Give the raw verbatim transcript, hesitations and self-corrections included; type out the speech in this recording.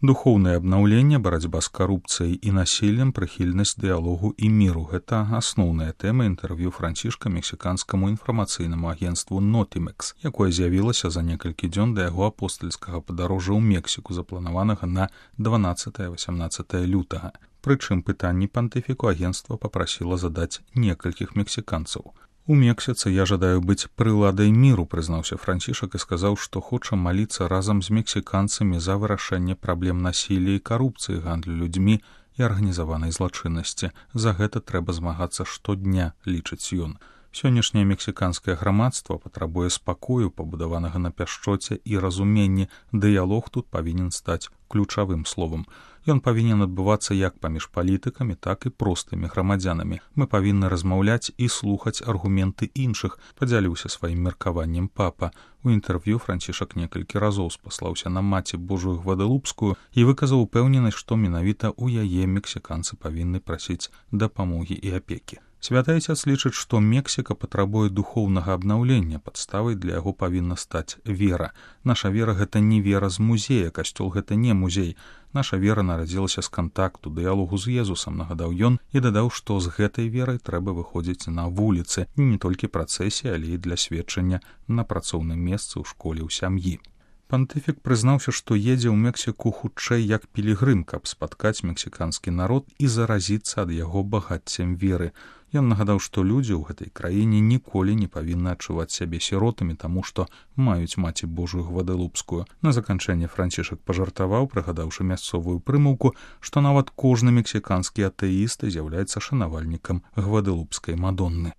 Духоўнае абнаўленне, барацьба з карупцыяй і насіллем, прыхільнасць дыялогу і міру – гэта асноўная тэма інтэрв'ю Францішка мексіканскаму інфармацыйнаму агенцтву «Нотімекс», якое з'явілася за некалькі дзён да яго апостальскага падарожжа ў Мексіку, запланаванага на дванаццатае-васямнаццатае лютага. Прычым пытанні пантыфіку агенцтва папрасіла задаць некалькіх мексіканцаў. У Мексіцы я жадаю быць прыладай міру, прызнаўся Францішак і сказаў, што хоча маліцца разам з мексіканцамі за вырашэнне праблем насілля і карупцыі, гандлю людзьмі і арганізаванай злачыннасці. За гэта трэба змагацца штодня, лічыць ён. Сённяшняе мексіканскае грамадства патрабуе спакою, пабудаванага на пяшчоце і разуменні. Дыялог тут павінен стаць ключавым словам. Ён павінен адбывацца як паміж палітыкамі, так і простымі грамадзянамі. Мы павінны размаўляць і слухаць аргументы іншых, падзяліўся сваім меркаваннем папа. У інтэрв'ю Францішак некалькі разоў спаслаўся на маці Божую Гвадалупскую і выказаў упэўненасць, што менавіта ў яе мексіканцы павінны прасіць дапамогі і апекі. Святы Айцец лічыць, што Мексіка патрабуе духоўнага абнаўлення, падставай для яго павінна стаць вера. Наша вера – гэта не вера з музея, касцёл – гэта не музей. Наша вера нарадзілася з кантакту, дыялогу з Езусам, нагадаў ён, і дадаў, што з гэтай верай трэба выходзіць на вуліцы, не толькі працэсіі, але і для сведчання на працоўным месцы, ў школе, ў сям'і. Пантыфік прызнаўся, што едзе ў Мексіку хутчэй як пілігрым, каб спаткаць мексіканскі народ і заразіцца ад яго багаццем веры. Ён нагадаў, што людзі ў гэтай краіне ніколі не павінны адчуваць сябе сіротамі, таму што маюць маці Божую Гвадалупскую. На заканчэнне Францішак пажартаваў, прыгадаўшы мясцовую прымаўку, што нават кожны мексіканскі атэіст з'яўляецца шанавальнікам Гвадалупскай Мадонны.